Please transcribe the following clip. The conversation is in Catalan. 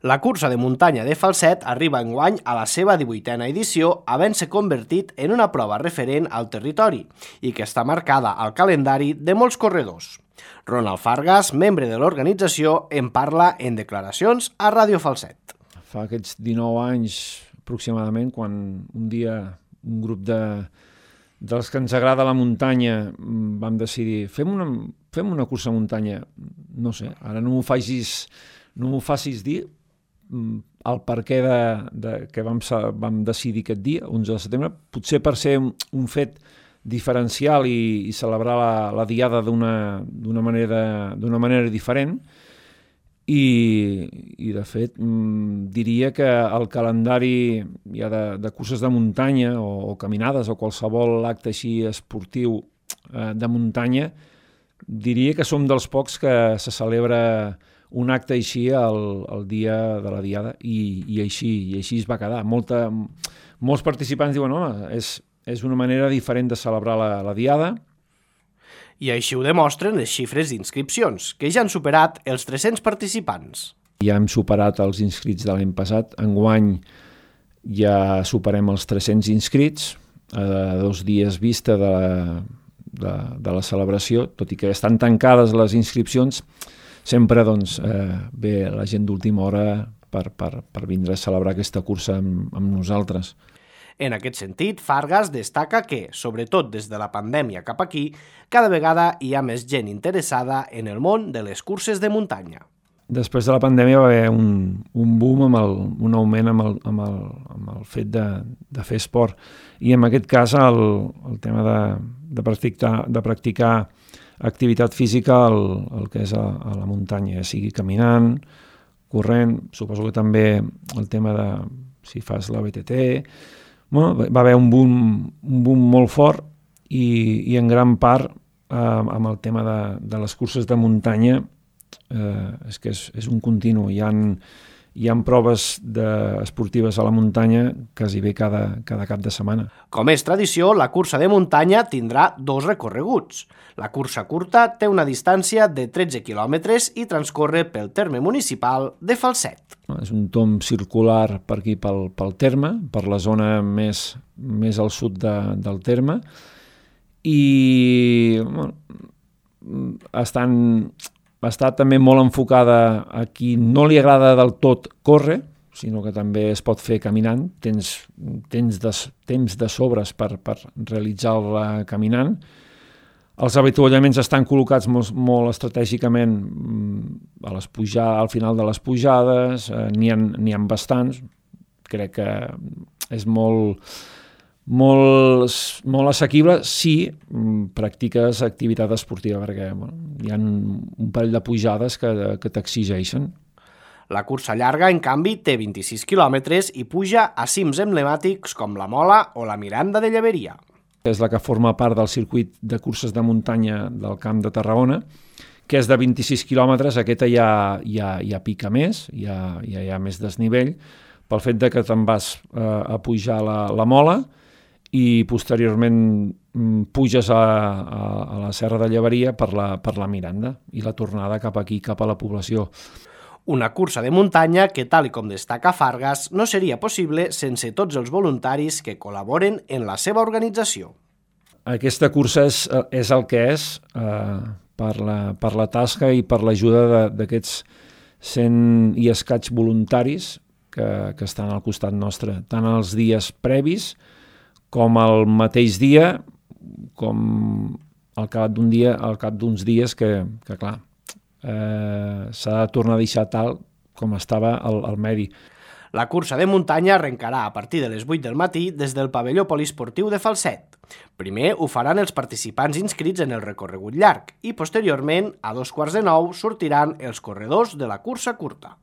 La cursa de muntanya de Falset arriba enguany a la seva 18a edició, havent-se convertit en una prova referent al territori i que està marcada al calendari de molts corredors. Ronald Fargas, membre de l'organització, en parla en declaracions a Ràdio Falset. Fa aquests 19 anys aproximadament, quan un dia un grup dels que ens agrada la muntanya vam decidir fem una cursa de muntanya, no sé, ara no m'ho facis dir el perquè que vam decidir aquest dia, 11 de setembre, potser per ser un fet diferencial i celebrar la diada d'una manera diferent. I de fet, diria que el calendari ja de curses de muntanya o caminades o qualsevol acte així esportiu de muntanya, diria que som dels pocs que se celebra un acte així el dia de la diada i així es va quedar. Molts participants diuen és una manera diferent de celebrar la diada. I així ho demostren les xifres d'inscripcions, que ja han superat els 300 participants. Ja hem superat els inscrits de l'any passat. Enguany ja superem els 300 inscrits a 2 dies vista de la celebració, tot i que estan tancades les inscripcions, sempre ve la gent d'última hora per vindre a celebrar aquesta cursa amb nosaltres. En aquest sentit, Fargas destaca que, sobretot des de la pandèmia cap aquí, cada vegada hi ha més gent interessada en el món de les curses de muntanya. Després de la pandèmia va haver un boom, un augment amb el fet de fer esport. I en aquest cas el tema de practicar activitat física el que és a la muntanya, ja sigui caminant, corrent, suposo que també el tema de si fas la BTT. Va haver un boom molt fort i en gran part amb el tema de les curses de muntanya és que és un continu. Hi ha proves esportives a la muntanya quasi bé cada cap de setmana. Com és tradició, la cursa de muntanya tindrà 2 recorreguts. La cursa curta té una distància de 13 quilòmetres i transcorre pel terme municipal de Falset. És un tomb circular per aquí pel terme, per la zona més al sud del terme, i està també molt enfocada a qui no li agrada del tot córrer, sinó que també es pot fer caminant, temps de sobres per realitzar-la caminant. Els avituallaments estan col·locats molt estratègicament al final de les pujades, n'hi ha bastants. Crec que és molt assequible si practiques activitat esportiva, perquè hi ha un parell de pujades que t'exigeixen. La cursa llarga, en canvi, té 26 quilòmetres i puja a cims emblemàtics com la Mola o la Miranda de Llaveria. És la que forma part del circuit de curses de muntanya del Camp de Tarragona, que és de 26 quilòmetres. Aquesta ja pica més, ja hi ha més desnivell, pel fet que te'n vas a pujar la Mola i posteriorment puges a la Serra de Llaveria per la Miranda i la tornada cap aquí, cap a la població. Una cursa de muntanya que, tal com destaca Fargas, no seria possible sense tots els voluntaris que col·laboren en la seva organització. Aquesta cursa és el que és per la tasca i per l'ajuda d'aquests 100 i escaig voluntaris que estan al costat nostre, tant els dies previs com el mateix dia, com al cap d'uns dies que clar, s'ha de tornar a deixar tal com estava el medi. La cursa de muntanya arrencarà a partir de les 8 del matí des del pavelló poliesportiu de Falset. Primer ho faran els participants inscrits en el recorregut llarg i posteriorment, a 8:45, sortiran els corredors de la cursa curta.